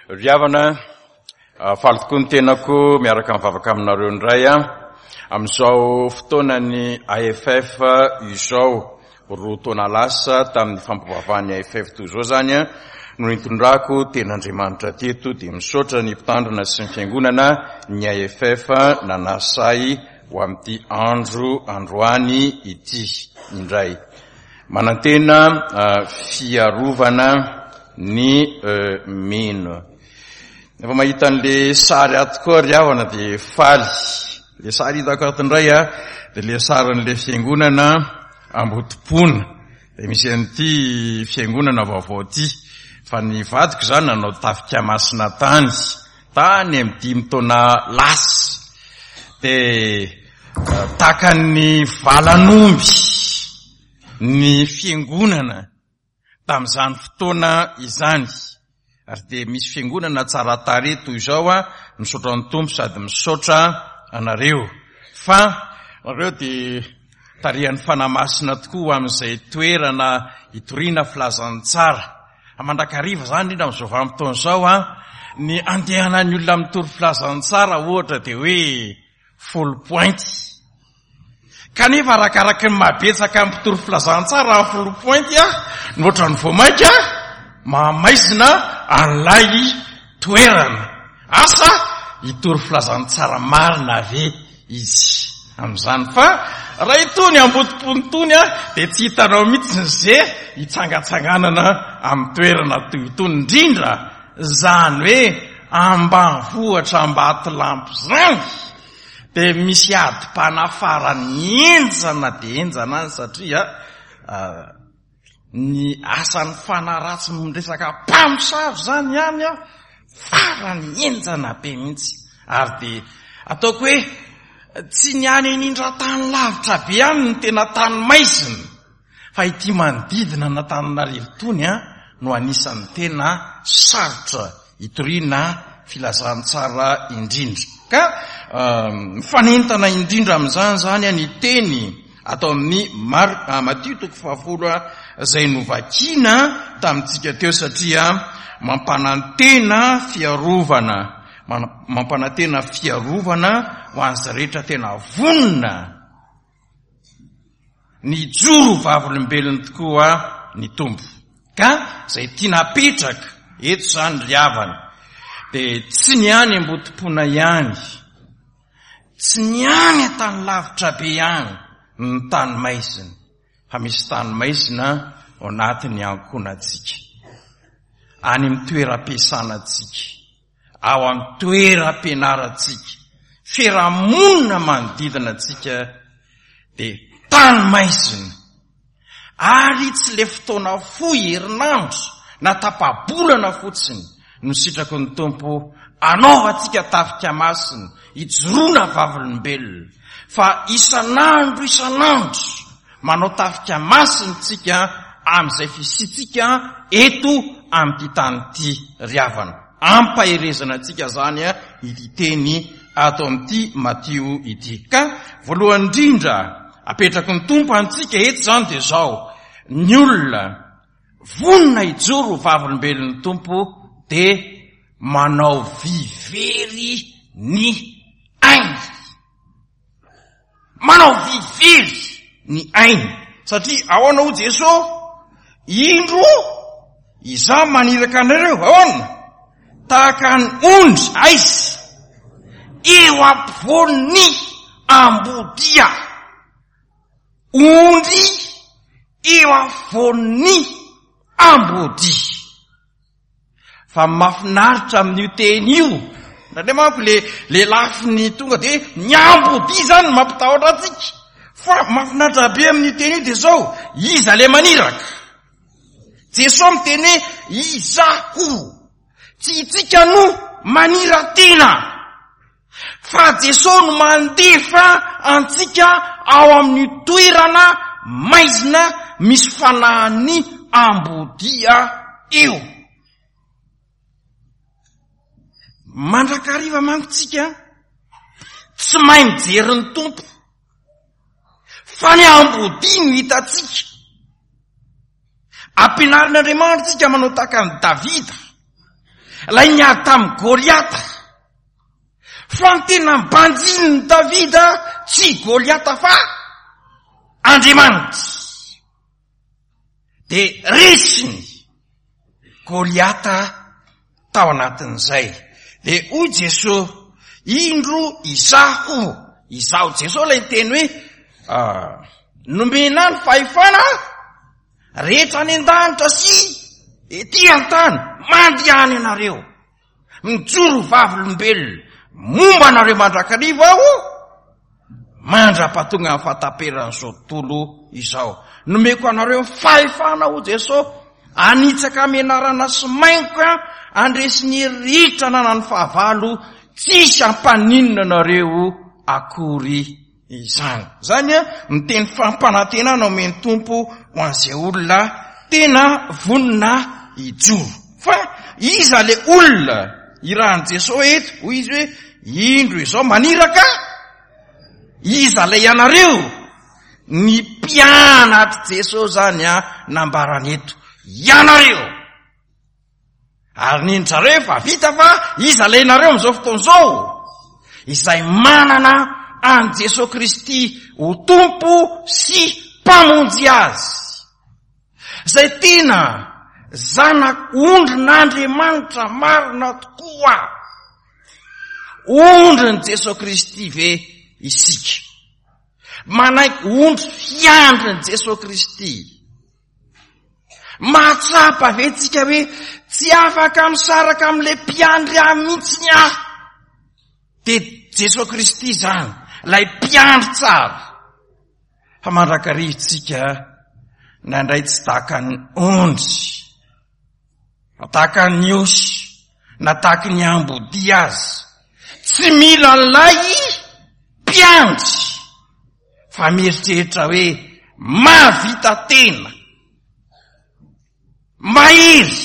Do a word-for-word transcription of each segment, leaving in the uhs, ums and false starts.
Ry havana, faly tokoa ny tenako miaraka mivavaka aminareo indray a amin'izao fotoanany A F F izao. Roa taona lasa tamin'ny fampivavahan'ny A F F toy izao zany a no nitondrako tenin'Andriamanitra teto, dia misaotra ny mpitandrina sy ny fiangonana ny A F F nanasa ahy ho amin'ity andro androany ity indray. Manantena fiarovana ny mino. Efa mahita an'le sary ato koa ry havana dia faly. Le sary hitako ato indray a dia le sarin'le fiangonana Ambotopona, dia misy an'ity fiangonana vaovao ty, fa ny vadiko zany nanao tafika masina tany tany amy dimy taona lasa, dia tahaka ny valan'omby ny fiangonana tamin'izany fotoana izany, ary dia misy fiangonana tsara tarehy toy izao a misaotra ny Tompo sady misaotra anareo, fa nareo dia tarihan'ny Fanahy Masina tokoa amin'izay toerana hitoriana filazantsara mandrakariva zany, indrindra am'izao vanim-potoana izao a ny andehanany olona mitory filazantsara ohatra dia hoe Foulpointe, kanefa arakaraky ny mahabetsaka mpitory filazantsara amin'ny Foulpointe a no ohatrany vao mainka mahamaizina an'ilay toerana. Asa hitory filazantsara marina ave izy amin'izany? Fa raha itony Ambotopony tony a dia tsy hitanao mihitsy ny ze hitsangatsanganana amin'ny toerana toy itony, indrindra zany hoe ambanivohitra Ambatolampy zany, dia misy adim-panafarany enjana de enjana any, satria ny asan'ny fanahy ratsy miresaka mpamosavy zany ihany a farany enjana be mihitsy, ary de ataoko hoe tsy ny any anindra tany lavitra be any ny tena tany maizina, fa ity manodidina n'Antananarivo tony a no anisan'ny tena sarotra hitoriana filazantsara indrindra. Ka mifanentana indrindra amin'izany zany a ny teny atao amin'ny Mar Matio toko fahafolo a zay novakina tamintsika teo, satria mampanantena fiarovana, mampanantena fiarovana ho an'izay rehetra tena vonona ny joro vavolombelony tokoa ny Tompo. Ka zay tiana apetraka eto zany ry havana de tsy ny any Ambotopona ihany, tsy ny any an-tany lavitra be ihany ny tany maizina, fa misy tany maizina ao anatin'ny ankohonantsika, any amin'ny toeram-piasanantsika, ao amin'ny toeram-pianarantsika, fiarahamonina manodidina atsika de tany maizina, ary tsy le fotoana fohy herinandro na tapa-bolana fotsiny no sitraky ny Tompo anaovantsika tafika masina ijoroana vavolombelona, fa isan'andro isan'andro manao tafika masina tsika amin'izay fisitsika eto amin'ity tany ity. Ry havana, ampaherezana antsika zany a ity teny ato amin'ity Matio ity. Ka voalohany indrindra apetraky ny Tompo antsika eto zany de zao: ny olona vonona hijoro vavolombelon'ny Tompo de manao vivery ny ainy, manao vivery ny ainy, satria ahoana ho Jesosy? "Indro izaho maniraka anareo ahoana? Tahaka ny ondry aizy eo ampovoan'ny ambodia." Ondry eo afovoan'ny ambodia. Fa mahafinaritra amin'io teny io ndraindray manko le le lafiny tonga de ny ambodia zany mampitahotra atsika, fa mahafinaritra be amin'io teny io de zao: iza le maniraka? Jesosy miteny hoe "izaho". Tsy itsika no manira-tena, fa Jesosy no mandefa antsika ao amin'ny toerana maizina misy fanahin'ny ambodia io. Mandrakariva manko tsika tsy mahay mijery ny Tompo, fa ny ambodia no hitatsika. Ampianarin'Andriamanitra tsika manao tahaka ny Davida. Ilay niady tamin'i Goliata. Fa ny tena nibanjinin'i Davida tsy i Goliata fa Andriamanitra. Dia resiny Goliata tao anatin'izay. Dia hoy Jesoa, indro izaho, izaho Jesoa ilay niteny hoe, ah, nomena ny fahefana rehetra any an-danitra sy ety an-tany, mandehana ianareo, mijoro vavolombelona momba anareo mandrakariva aho, mandra-pahatonga ny fahataperan'izao tontolo izao. Nomeko anareo ny fahefana, hoy Jesoa, hanitsaka menarana sy maingoka, handresy ny hery rehetra ananan'ny fahavalo, tsisy hampaninona anareo akory izany. Izany ny teny fampanantenana omen'ny Tompo ho an'izay olona tena vonona hijoro. Fa iza le olona irahan'i Jesoa eto? Hoy izy hoe, indro izao maniraka iza ilay ianareo? Ny mpianatr'i Jesoa zany a nambarany eto, ianareo. Ary nindry zareo efa vita fa iza ilay ianareo amin'izao fotoana izao? Izay manana an'i Jesoa Kristy ho Tompo sy Mpamonjy azy. Izay tena zanak'ondrin'Andriamanitra marina tokoa. Ondrin'i Jesoa Kristy ve isika? Manaiky ondry fiandrin'i Jesoa Kristy. Mahatsapa ve tsika hoe tsy afaka misaraka amin'ilay mpiandry ahy mihitsy ny ahy? Dia Jesoa Kristy izany, ilay mpiandry tsara. Fa mandrakariva tsika nandray tsy tahaka ny ondry, na tahaka ny osy, na tahaka ny ambodia azy. Tsy mila an'ilay mpiandry, fa mieritreritra hoe mahavita tena, mahery,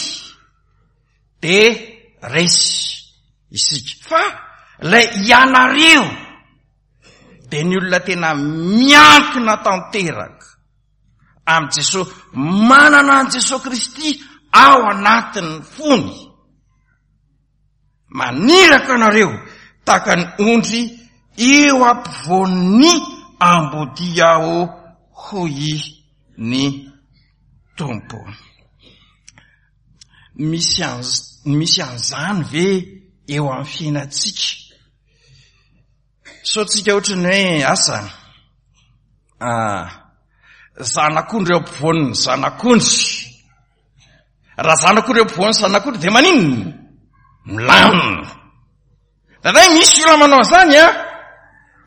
dia resy isika. Fa ilay ianareo dia ny olona tena miankina tanteraka amin'i Jesoa, manana an'i Jesoa Kristy ao anatin'ny fony. Maniraka anareo tahaka ny ondry eo ampovoan'ny ambodia aho, hoy ny Tompo. Misy anz-, misy an'izany ve eo amin'ny fiainantsika? Sao tsika ohatry ny hoe asa, ah, zanak'ondry eo ampovoan'ny zanak'ondry. Raha zanak'ondry eo ampovoan'ny zanak'ondry dia maninona? Milamina. Indraindray misy olona manao an'izany a,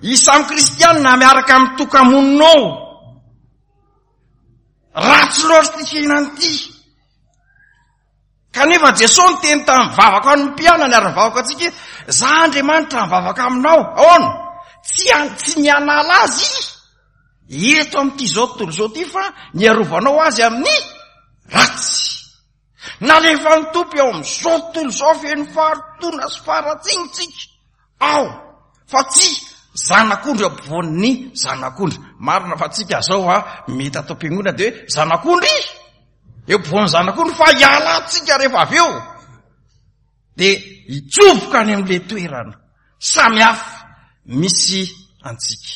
izy samy kristianina miaraka amin'ny tokamonina ao. Ratsy loatra ity fiainana ity. Kanefa Jesoa niteny tamin'ny vavaka an'ny mpianany ary nivavaka antsika hoe, za Andriamanitra mivavaka aminao. Ahoana? Tsy an-, tsy ny hanala azy eto amin'ity izao tontolo izao ity fa ny arovanao azy amin'ny ratsy. Nalefan'ny Tompo eo amin'izao tontolo izao feno faharotoana sy faharatsiana tsika ao, fa tsy zanak'ondry eo ampovoan'ny zanak'ondry. Marina fa tsika zao a mety ato am-piangonana dia hoe zanak'ondry eo ampovoan'ny zanak'ondry, fa hialantsika rehefa avy eo dia hitsofoka any amin'ilay toerana samy hafa misy antsika.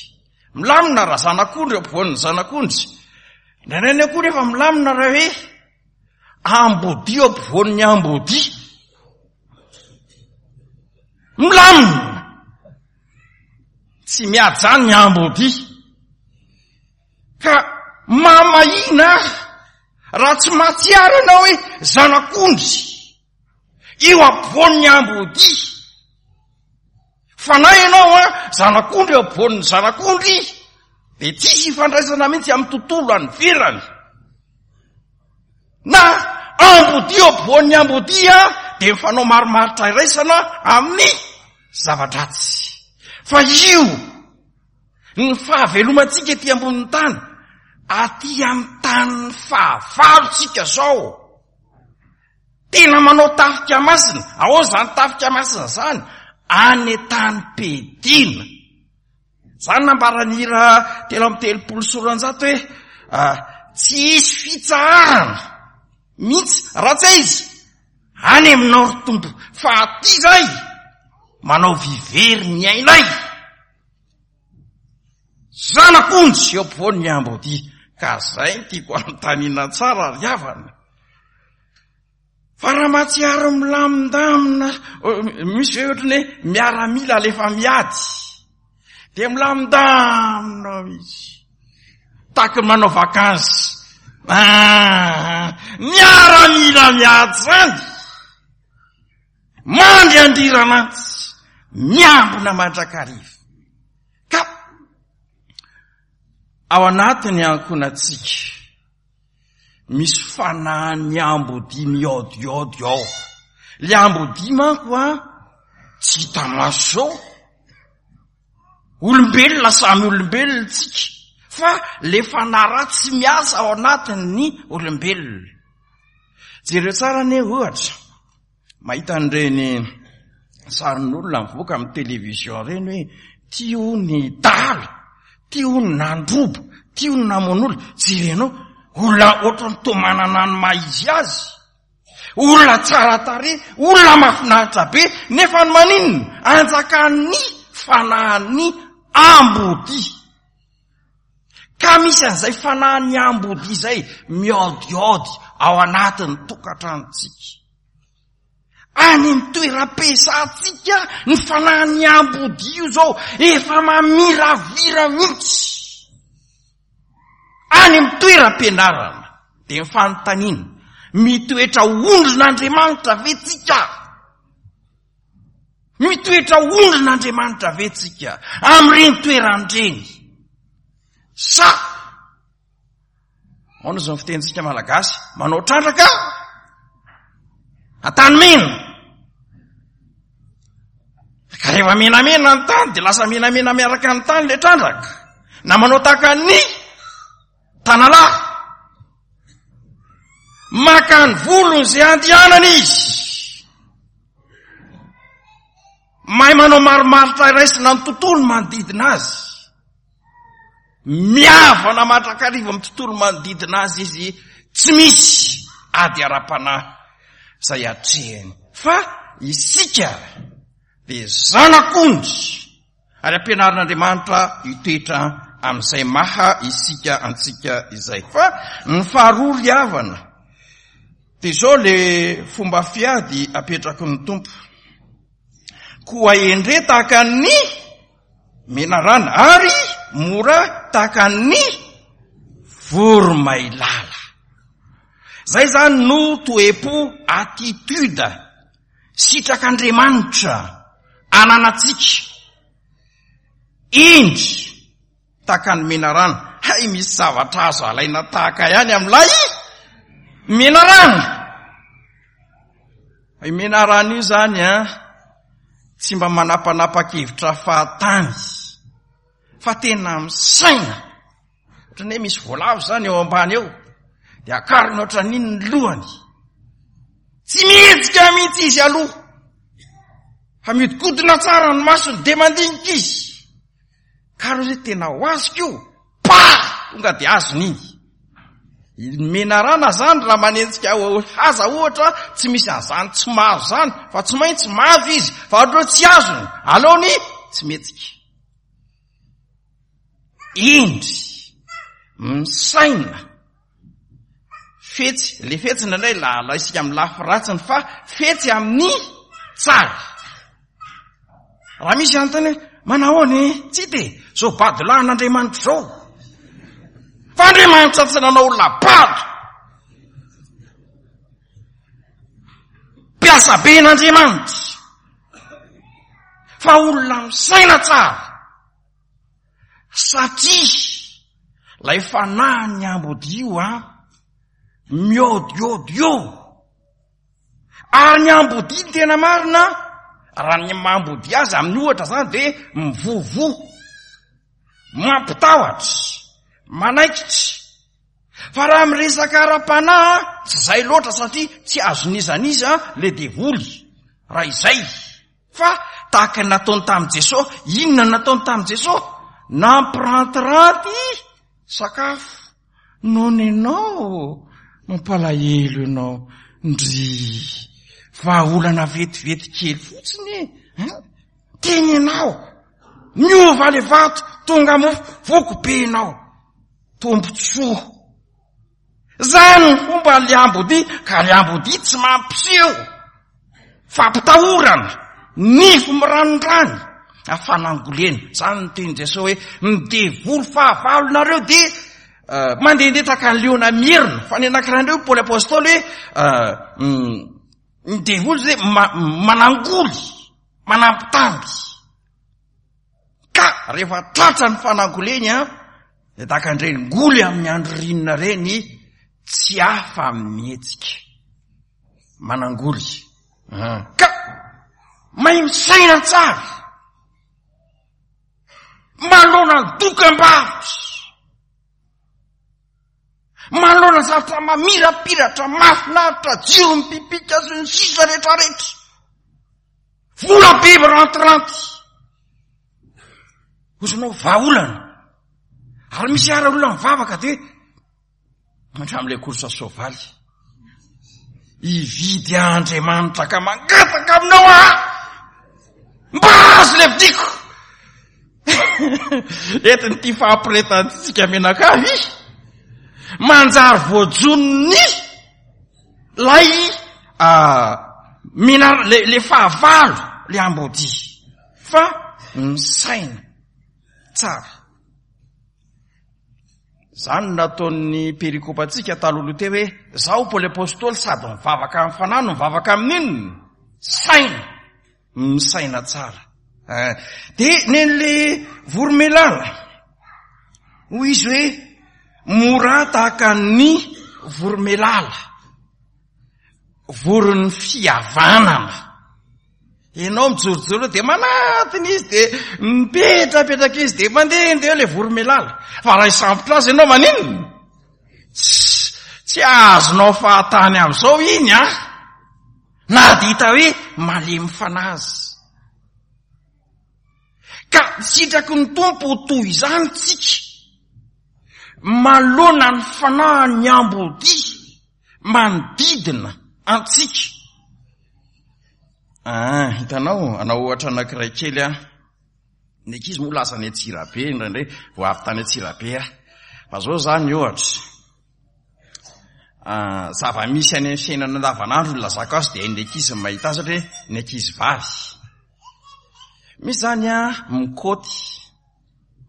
Milamina raha zanak'ondry eo ampovoan'ny zanak'ondry. Indraindray koa rehefa milamina raha hoe ambodia eo ampovoan'ny ambodia. Milamina. Tsy miady zany ny ambodia. Ka mamahina raha tsy mahatsiaro ianao hoe zanak'ondry eo ampovoan'ny ambodia. Fa na ianao a zanak'ondry eo ampovoan'ny zanak'ondry dia tsisy ifandraisana mihitsy amin'ny tontolo any ivelany. Na ambodia eo ampovoan'ny ambodia dia mifanao marimaritra iraisana amin'ny zava-dratsy. Fa io ny fahavelomantsika ety ambonin'ny tany, aty amin'ny tanin'ny fahavalontsika zao. Tena manao tafika masina. Ahoana izany tafika masina izany? Any an-tany-piadiana. Izany nambaran'ny hira telo amby telopolo sy roanjato hoe, ah, tsy hisy fitsaharana mihitsy raha tsy aiza Any aminao ry Tompo, fa aty zay manao vivery ny ainay. Zanak'ondry eo ampovoany ny ambodia. Ka zay no tiako anontaniana tsara ry havana. Fa raha mahatsiaro milamindamina, misy hoe ohatrany hoe miaramila alefa miady, dia milamindamina ao izy, tahaka ny manao vacances. Ah, miaramila miady zany, mandry andriranantsy, miambina mandrakariva. Ka ao anatin'ny ankohonantsika misy fanahin'ny ambodia miodiody ao. Le ambodia manko a tsy hita maso zao. Olombelona samy olombelona tsika, fa le fanahy ratsy miasa ao anatin'ny olombelona. Jereo tsara anie ohatra, mahita an'ireny sarin'olona mivoaka amin'ny télévision ireny hoe ty ho ny dahalo, ty ho ny nandroba, ty ho ny namono olona. Jerenao, olona ohatran'ny toa manana ny maha izy azy, olona tsara tarehy, olona mahafinaritra be, nefa ny maninona? Anjakan'ny fanahin'ny ambodia. Ka misy an'izay fanahin'ny ambodia izay miodiody ao anatin'ny tokantranontsika. Any amin'ny toeram-piasantsika ny fanahin'ny ambodia io zao efa mamiravira mihitsy. Any amin'ny toeram-pianarana dia ny fanontaniana, mitoetra ondrin'Andriamanitra ve tsika? Mitoetra ondrin'Andriamanitra ve tsika amin'ireny toeran-dreny? Sa ahoana zao ny fitenintsika malagasy, manao trandraka an-tany mena? Ka rehefa menamena ny tany dia lasa menamena miaraka ny tany le trandraka, na manao tahaka ny tanalahy, maka ny volony izay andehanana izy, mahay manao marimaritra iraisina ny tontolo manodidina azy, miavana mandrakariva amin'ny tontolo manodidina azy izy, tsy misy ady ara-panahy izay atrehiny. Fa isika dia zanak'ondry ary ampianarin'Andriamanitra hitoetra amin'izay maha isika antsika izay. Fa ny faharoa ry havana dia izao le fomba fiady apetraky ny Tompo: koa endre tahaka ny menarana ary mora tahaka ny voromailala. Zay zany no toe-po, attitude sitrak'Andriamanitra ananantsika. Indry tahaka ny menarana. Hay misy zavatra azo alaina tahaka ihany amin'ilay menarana. I menarana io zany a tsy mba manapanapa-kevitra fahatany, fa tena misaina. Ohatrany hoe misy voalavo zany eo ambany eo, dia akariny ohatran'iny ny lohany. Tsy mihetsika mihitsy izy aloha, fa miodikodina tsara ny masony dia mandinika izy. Ka raha hoe tena ho azoko io, pa! Tonga dia azony iny. Ny menarana zany raha manenjika haza ohatra, tsy misy an'izany tsy mahazo zany, fa tsy maintsy mahazo izy, fa ohatra hoe tsy azony, aleony tsy mihetsika. Indry misaina fetsy, le fetsy indraindray la laisika amin'ny lafy ratsiny, fa fetsy amin'ny tsara. Raha misy anontany hoe manahoana e, tsy hita e, zao badolahin'Andriamanitra zao. Fa Andriamanitra tsy nanao olona bado. Mpiasa be n'Andriamanitra, fa olona misaina tsara. Satria lay fanahin'ny ambodia io a miodiody io. Ary ny ambodia ny tena marina, raha ny mambodia azy amin'ny ohatra zany dia mivovo, mampitahotra, manaikitra. Fa raha miresaka ara-panahy tsy zay loatra, satria tsy azon'iza n'iza le devoly raha izay. Fa tahaka ny nataony tamin'i Jesosy, inona no nataony tamin'i Jesosy? Nampirantiranty sakafo. Nono ianao, mampalahelo ianao, ndry. Vahaolana vetivety kely fotsiny e. Teny ianao. Miova le vato, tonga mofo, voky be ianao. Tombontsoa. Zany ny fomba le ambodia, ka le ambodia tsy mampiseho fampitahorana, nify miranondrany, afanangolena. Zany ny teny Jesosy hoe ny devoly fahavalonareo dia uh, mandehandeha tahaka ny liona mierona. Fa ny anankiray indray Paoly Apostoly hoe uh, ny devoly zay ma manangoly, manampitamby. Ka rehefa tratra ny fanangoleny a, dia tahaka an'ireny ngoly amin'ny andro ririnina ireny, tsy afa mihetsika. Manangoly. Ka mahay misaina tsara. Manoloana ny dokam-barotra. Manoloana zavatra mamirapiratra, mahafinaritra, jiro mipipika sy ny sisa rehetrarehetra. Vola be mirantiranty. Ozonao vahaolana. Ary misy ara olona mivavaka dia hatramin'ilay course soavaly. Hividy Andriamanitra ka mangataka aminao aho. Mba azo le vidiko. Entiny ity fahampiretantsika menakavy. Manjary voajonony lay mina le, le fahavalo le ambodia. Fa misaina tsara. Zany no nataon'ny perikopantsika talohaloha teo hoe zaho Paoly Apostoly sady mivavaka amin'ny fanahy no mivavaka amin'inona? Saina. Misaina tsara. Dia nen'le voromelala. Hoy izy hoe mora tahaka ny voromelala. Voron'ny fihavanana. Ianao mijorojoro dia manatiny izy dia mipetrapetraka izy dia mandehandeha eo le voromelala. Fa raha hisambotra azy ianao maninona? Tsy, tsy azonao fahatany amin'izao iny a. Na dia hita hoe malemy fanahy azy. Ka sitraky ny Tompo ho toy izany tsika. Manoloana ny fanahy ny ambodia manodidina antsika. Ah, hitanao, anao ohatra anankiray kely aho. Ny ankizy moa lasa any Antsirabe indraindray, vao avy tany Antsirabe aho. Fa zao zany ohatra. Ah, zava-misy any amin'ny fiainana andavanandro ny lazako azy dia hain'ny ankizy ny mahita azy satria ny ankizy vavy. Misy zany a mikoty.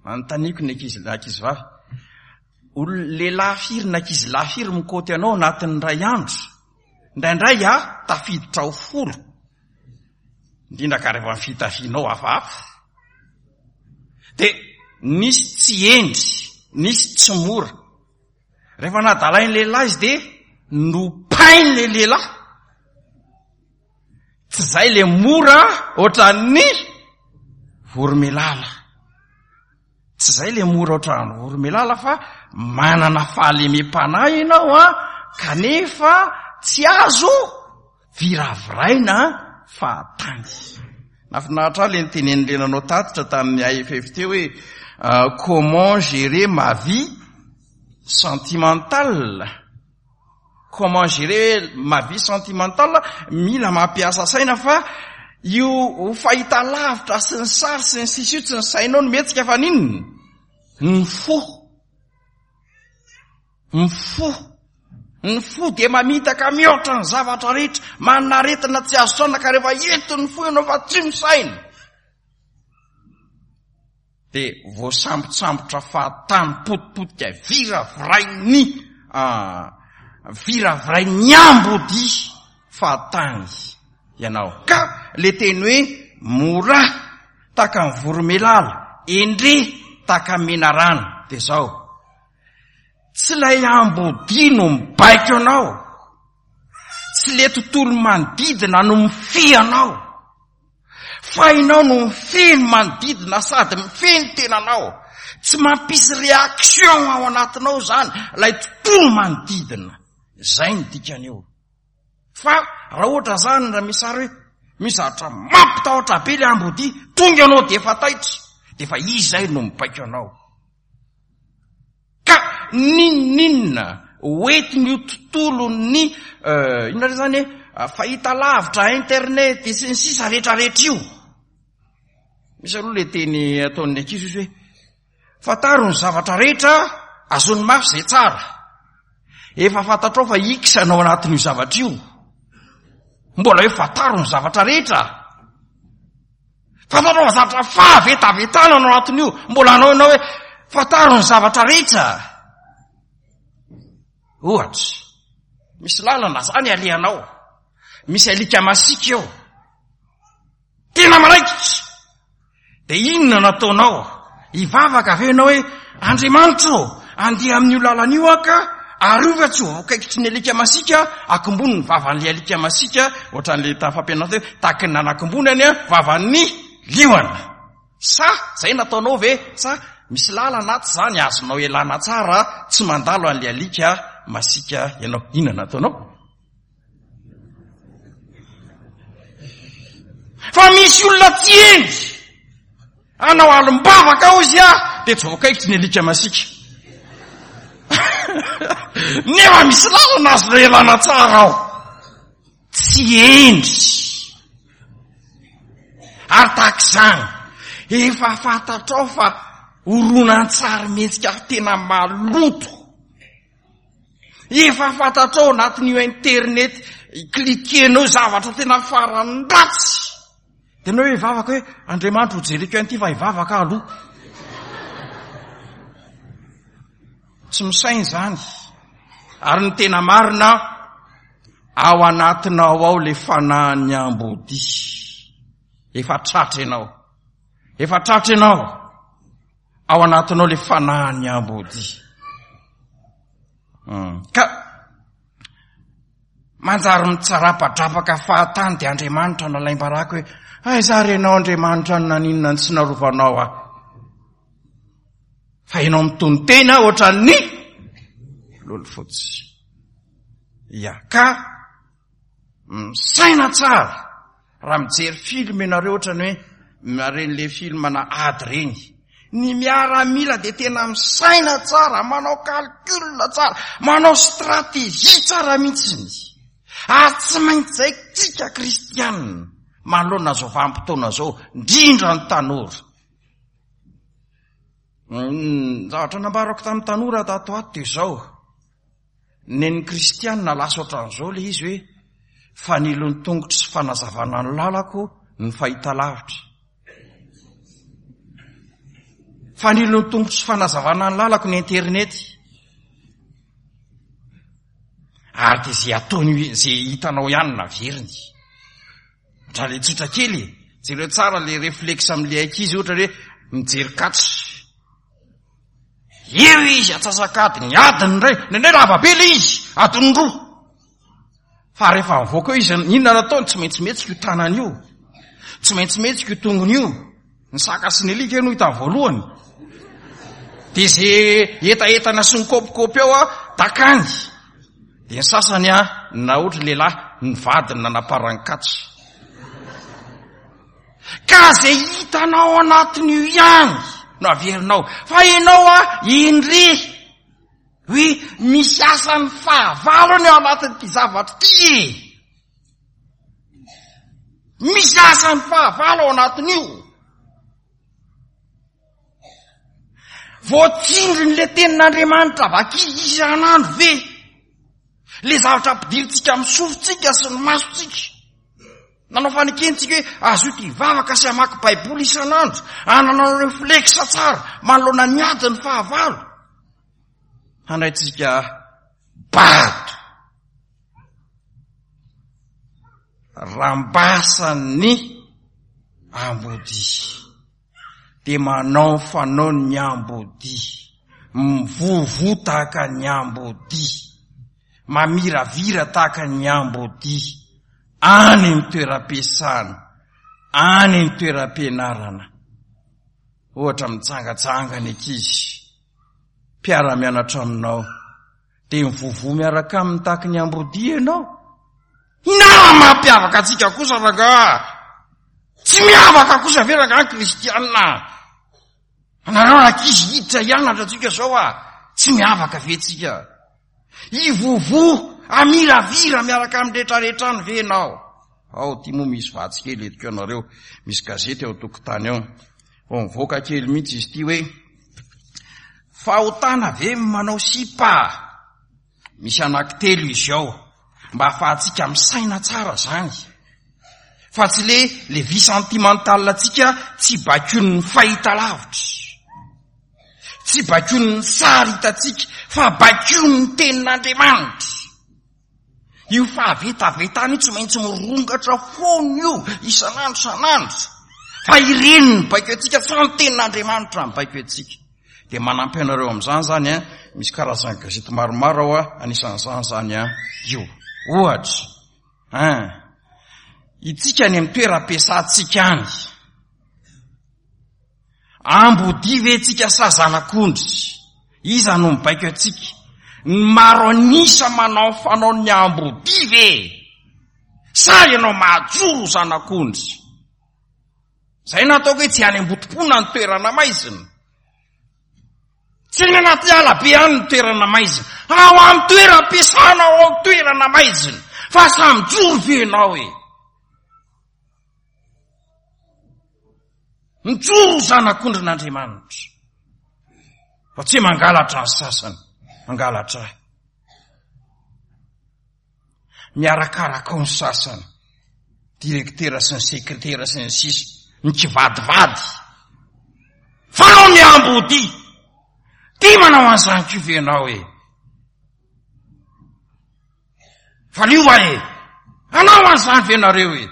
Anontaniako ny ankizy, ankizy vavy. Olona lehilahy firy na ankizy lahy firy mikoty anao anatin'ny iray andro. Indraindray a tafiditra ho folo. Indrindra ka rehefa ny fitafianao hafahafa. Dia nisy tsy hendry, nisy tsy mora. Rehefa nadalain'ny lehilahy izy dia nopain'ilay lehilahy. Tsy zay le mora ohatran'ny voromelala. Tsy zay le mora ohatran'ny voromelala fa manana fahalemem-panahy ianao a, kanefa tsy azo viraviraina fahatany. Nafinaritra ahy le nitenen'le nanao tatitra tamin'ny A F F teo hoe comment gérer ma vie sentimentale. Comment gérer ma vie sentimentale, mila mampiasa saina fa io fahita lavitra sy ny sary sy ny sisa io tsy ny sainao no mihetsika fa n'inona? Ny fo. Ny fo. Ny fo dia mamitaka mihoatra ny zavatra rehetra, manana aretina tsy azo saina ka rehefa entin'ny fo ianao fa tsy misaina. Dia voasambotsambotra fahatany potipotika viravirain'ny, ah, viravirain'ny ambodia fahatany ianao. Ka le teny hoe mora tahaka ny voromelala, endre tahaka ny menarana, dia zao. Tsy ilay ambodia no mibaiko anao, tsy le tontolo manodidina no mifehy anao, fa ianao no mifehy ny manodidina sady mifehy ny tenanao. Tsy mampisy réaction ao anatinao zany ilay tontolo manodidina. Zay ny dikan'io. Fa raha ohatra zany raha misy sary hoe misy zavatra mampitahotra be le ambodia, tonga ianao dia efa taitra, dia efa izy zay no mibaiko anao. Ka n'inon'inona hoentin'io tontolon'ny, euh, inona re zany e? fahitalavitra, internet sy ny sisa rehetrarehetra io. Misy aloha le teny ataon'ny ankizy izy hoe fantaro ny zavatra rehetra, azony mafy izay tsara. Efa fantatrao fa X anao anatin'io zavatra io. Mbola hoe fantaro ny zavatra rehetra. Fantatrao fa zavatra fahavetavetana anao anatin'io. Mbola anao ianao hoe fantaro ny zavatra rehetra. Ohatra, misy lalana zany alehanao. Misy alika masiaka eo. Tena maraikitra. Dia inona no ataonao? Hivavaka ve ianao hoe Andriamanitra ô, andeha amin'io lalana io aho ka arovy tsy ho voakaikitry ny alika masiaka, akombony ny vavan'ilay alika masiaka, ohatran'ilay tamin'ny fampianarana teo, tahaky ny nanakombonany a vavan'ny liona. Sa zay nataonao ve? Sa misy lalana ato zany azonao ialana tsara, tsy mandalo an'ilay alika masiaka ianao. Inona nataonao? Fa misy olona tsy hendry anao alim-bavaka ao izy a, dia tsy voakaikitry ny alika masiaka. Nefa misy lalana azonao ialana tsara ao. Tsy hendry. Ary tahaka izany, efa fantatrao fa horonan-tsary mihetsika tena maloto. Efa fantatrao anatin'io internet klikenao zavatra tena farany ratsy. Dia ianao hoe hivavaka hoe Andriamanitra ho jereko an'ity fa hivavaka aloha. Tsy misaina izany. Ary ny tena marina, ao anatinao ao le fanahin'ny ambodia. Efa tratra ianao. Efa tratra ianao. Ao anatinao le fanahin'ny ambodia. Hmm. Ka manjary mitsarapadrapaka fahatany dia Andriamanitra nalaim-baraka hoe aiza ary ianao Andriamanitra no naninona ny tsy narovanao aho. Fa ianao mitono-tena ohatran'ny lolo fotsy. Ya, ka misaina tsara raha mijery film ianareo ohatrany hoe maren'le film na ady reny. Ny miaramila dia tena misaina tsara, manao calcul tsara, manao stratégie tsara mihitsy. Ary tsy maintsy zay tsika kristianina manoloana izao vanim-potoana izao, indrindra ny tanora. Ny zavatra nambarako tamin'ny tanora tato ato dia izao. Nen'ny kristianina lasa ohatran'izao ilay izy hoe fanilon'ny tongotro sy fanazavana ny lalako ny fahitalavitra. Fanilon'ny tongotro sy fanazavana ny lalako ny internet. Ary dia izay ataony, izay hitanao ihany naveriny. Ohatra ilay tsotra kely e. Jereo tsara ilay réflexe amin'ilay ankizy ohatra hoe mijery catch. Eo izy atsasak'adiny, adiny indray, indraindray lava be ilay izy, adiny roa. Fa rehefa mivoaka eo izy, inona no ataony? Tsy maintsy mihetsika io tanany io. Tsy maintsy mihetsika io tongony io. Ny saka sy ny alika no hitany voalohany. Dia izay hetahethana sy ny kopikopy ao a, dakany. Dia ny sasany a, na ohatra lehilahy, ny vadiny nanaparany catch. Ka izay hitanao anatin'io ihany no averinao. Fa ianao a, indre hoe misy asan'ny fahavalony ao anatin'ity zavatra ity e. Misy asan'ny fahavalo ao anatin'io. Voatsindrin'ilay tenin'Andriamanitra vaky isan'andro ve? Le zavatra ampidirintsika amin'ny sofintsika sy ny masontsika. Nanao fanekentsika hoe azoto hivavaka sy hamaky Baiboly isan'andro, hanana réflexe tsara manoloana ny adin'ny fahavalo. Handraintsika bado. Rambasan'ny ambodia. Dia manao fanaon'ny ambodia. Mivovo tahaka ny ambodia. Mamiravira tahaka ny ambodia. Any amin'ny toeram-piasana, any amin'ny toeram-pianarana. Ohatra mitsangatsanga ny ankizy, mpiara-mianatra aminao, dia mivovo miaraka aminy tahaka ny ambodia ianao. Inona mampiavaka antsika kosa rangahy? Tsy miavaka kosa ve rangahy ny kristianina? Anareo ankizy hiditra hianatra antsika zao a, tsy miavaka ve tsika? Hivovo Amiravira miaraka amin'ny rehetrarehetra any ve ianao? Ao, ity moa misy vatsy kely entiko anareo, misy gazety ao an-tokotany ao. Vao mivoaka kely mihitsy izy ity hoe fahotana ve ny manao sipa? Misy anankitelo izy ao, mba ahafahantsika misaina tsara zany. Fa tsy le le vie sentimentale antsika tsy baikoin'ny fahitalavitra. Tsy baikoin'ny sary hitantsika, fa baikoin'ny tenin'Andriamanitra. Io fahavetavetana io tsy maintsy mirongatra foana io isan'andro isan'andro. Fa ireny ny baiko antsika, fa ny tenin'Andriamanitra ny baiko antsika. Dia manampy anareo amin'izany zany an, misy karazana gazety maromaro ao an, anisan'izany zany an, io. Ohatra, an, itsika any amin'ny toeram-piasantsika any. Ambodia ve tsika sa zanak'ondry? Iza no mibaiko antsika? Ny maro an'isa manao fanaon'ny ambodia ve? Sa ianao mahajoro zanak'ondry? Zay no ataoko hoe tsy any Ambotompona ny toerana maizina. Tsy any anaty ala be any ny toerana maizina. Ao amin'ny toeram-piasana ao amin'ny toerana maizina. Fa samy mijoro ve ianao e? Mijoro ho zanak'ondrin'Andriamanitra. Fa tsy mangalatra ny sasany, mangalatra ahy. Miarakaraka ao ny sasany, direktera sy ny sekretera sy ny sisa, mikivadivady. Fa anao miambodia, tia manao an'izany koa ve ianao e? Valio va e? Hanao an'izany ve nareo e?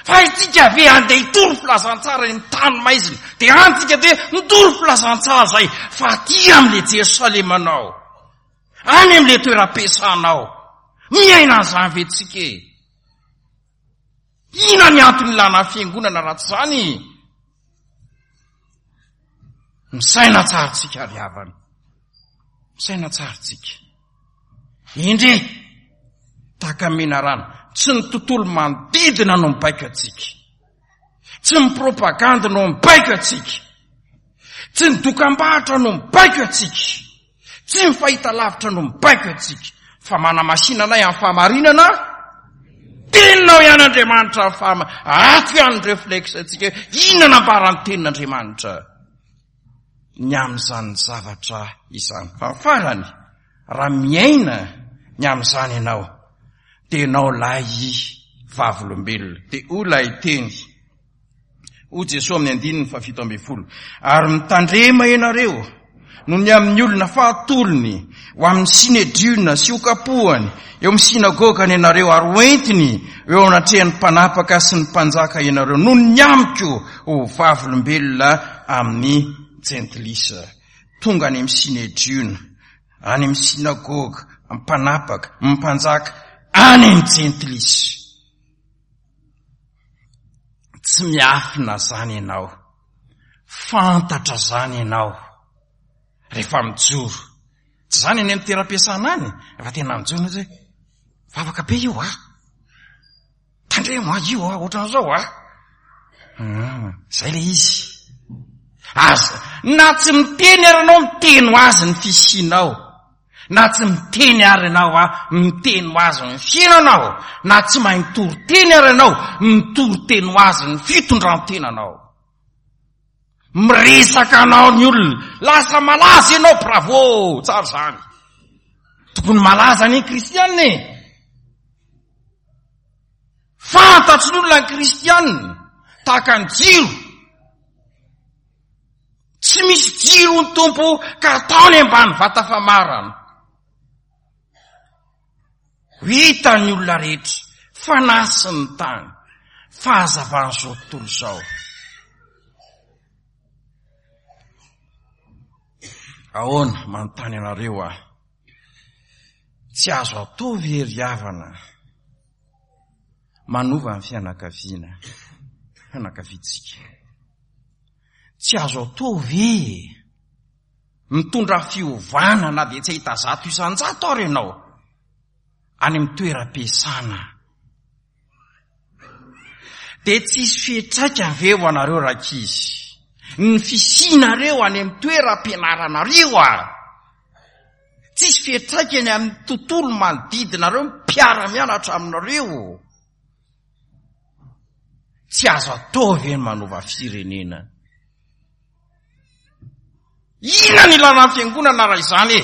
Fa isika ve andeha hitory filazantsara eny amin'ny tany maizina? Dia any tsika dia mitory filazantsara zay, fa aty amin'ilay Jerosalemanao, any amin'ilay toeram-piasanao, miaina an'izany ve tsika e? Inona ny antony ilana fiangonana raha tsy izany? Misaina tsara tsika ry havana. Misaina tsara tsika. Indre, tahaka ny menarana, tsy ny tontolo manodidina no mibaiko antsika. Tsy ny propagandy no mibaiko antsika. Tsy ny dokam-barotra no mibaiko antsika. Tsy ny fahitalavitra no mibaiko antsika. Fa manamasina anay amin'ny fahamarinana, teninao ihany Andriamanitra ny fahama-, ato ihany ny reflexe antsika hoe inona nambaran'ny tenin'Andriamanitra ny amin'izany zavatra izany. Fa ny farany, raha miaina ny amin'izany ianao, dia ianao ilay vavolombelona. Dia hoy ilay teny, hoy Jesoa amin'ny andininy fahafito ambin'ny folo, ary mitandrema ianareo noho ny amin'ny olona fa atolony ho amin'ny sinedriona sy hokapohany eo amin'ny sinagogany ianareo, ary hoentiny eo anatrehan'ny mpanapaka sy ny mpanjaka ianareo noho ny amiko ho vavolombelona amin'ny jentilisa. Tonga any amin'ny sinedriona, any amin'ny sinagoga, mpanapaka, mpanjaka, any amin'ny jentilisa. Tsy miafina zany ianao, fantatra zany ianao rehefa mijoro. Tsy zany any amin'ny toeram-piasana any, rehefa tena mijoro ianao hoe vavaka be io ah, tandremo ah io ah, ohatran'izao ah. Hmm, zay le izy. Aza, na tsy miteny ary ianao, miteny ho azy ny fisianao. Na tsy miteny ary ianao ah, miteny ho azy ny fiainanao. Na tsy mahay mitory teny ary ianao, mitory teny ho azy ny fitondran-tenanao. Miresaka anao ny olona, lasa malaza ianao, bravo, tsara izany. Tokony malaza ny kristianina e. Fantatry ny olona ny kristianina, tahaka ny jiro. Tsy misy jiro ny Tompo ka ataony ambany vata famarana. Ho hitan'ny olona rehetra, fanahy sy ny tany, fahazavan'izao tontolo izao. Ahoana, manontany anareo aho. Tsy azo atao ve ry havana manova ny fianakaviana, fianakaviantsika? Tsy azo atao ve mitondra fiovana na dia tsy hahita zato isan-jato ary ianao any amin'ny toeram-piasana? Dia tsy hisy fiantraikany ve ho anareo rankizy ny fisianareo any amin'ny toeram-pianaranareo a? Tsisy fiantraikany amin'ny tontolo manodidinareo, mpiara-mianatra aminareo. Tsy azo atao ve ny manova firenena? Inona ny ilana ny fiangonana raha izany e?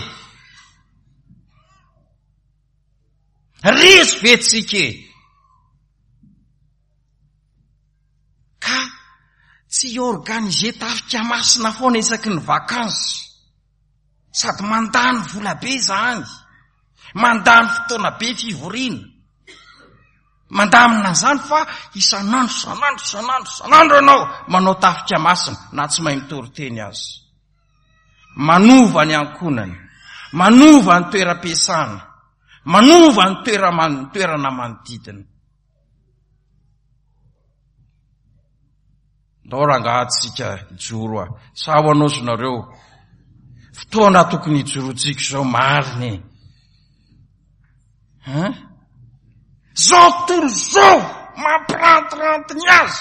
Resy ve tsika e? Ka tsy organiser tafika masina foana isaky ny vacances. Sady mandany vola be izany, mandany fotoana be fivoriana, mandamina an'izany fa isan'andro, isan'andro, isan'andro, isan'andro ianao manao tafika masina na tsy mahay mitory teny aza. Manova ny ankohonana, manova ny toeram-piasana, manova ny toera-man-, toerana manodidina. Ndao rangaha tsika hijoro a. Sa ho anao nareo. Fotoana tokony hijoroantsika izao marina e. Hein? Zao tontolo zao mampirantiranty ny azy.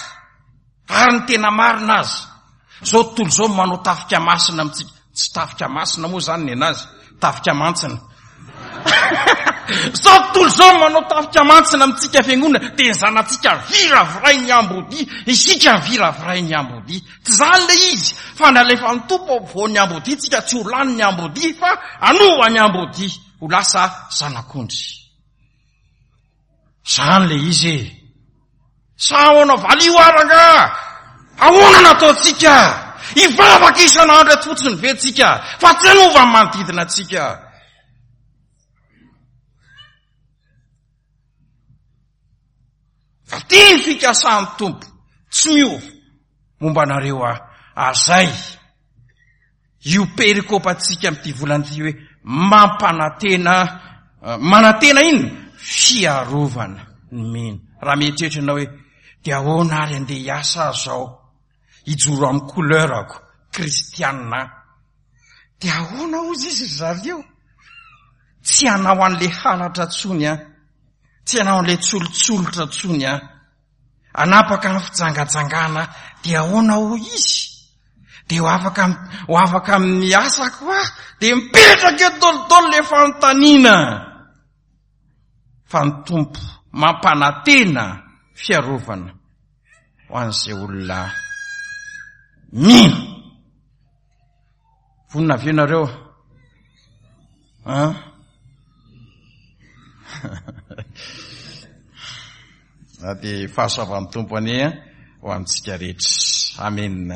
Ary ny tena marina azy. Zao tontolo zao manao tafika masina amintsika. Tsy tafika masina moa zany ny anazy, tafika mantsina. Zao tontolo zao manao tafika mantsina amintsika fiangonana, dia ny zanatsika viraviray ny ambodia, isika viraviray ny ambodia. Tsy zany le izy, fa nalefan'ny Tompo ampovoan'ny ambodia tsika, tsy ho lany ny ambodia fa hanova ny ambodia ho lasa zanak'ondry. Zany le izy e. Sa ahoana valio aranga? Ahoana nataontsika? Hivavaka isan'andro eto fotsiny ve tsika? Fa tsy hanova ny manodidina antsika. Fa ty ny fikasan'ny Tompo, tsy miova momba anareo aho. Ary zay, io perikopantsika amin'ity volana ity hoe mampanantena, manantena inona? Fiarovana ny mino. Raha mieritreritra ianao hoe, dia ahoana ary andeha hiasa aho zao? Hijoro amin'ny couleur-ako, kristianina. Dia ahoana hozy izy ry zareo? Tsy hanao an'le halatra tsony aho. Tsy hanao an'le tsolotsolotra tsony aho. Hanapaka ny fijangajangana, dia ahoana hoy izy? Dia ho afaka, ho afaka amin'ny asako aho. Dia mipetraka eo daholo le fanontaniana. Fa ny Tompo mampanantena fiarovana ho an'izay olona mino. Vonona ve nareo? Hein? Na dia fahasoavan'ny Tompo anie ho amintsika rehetra. Amen.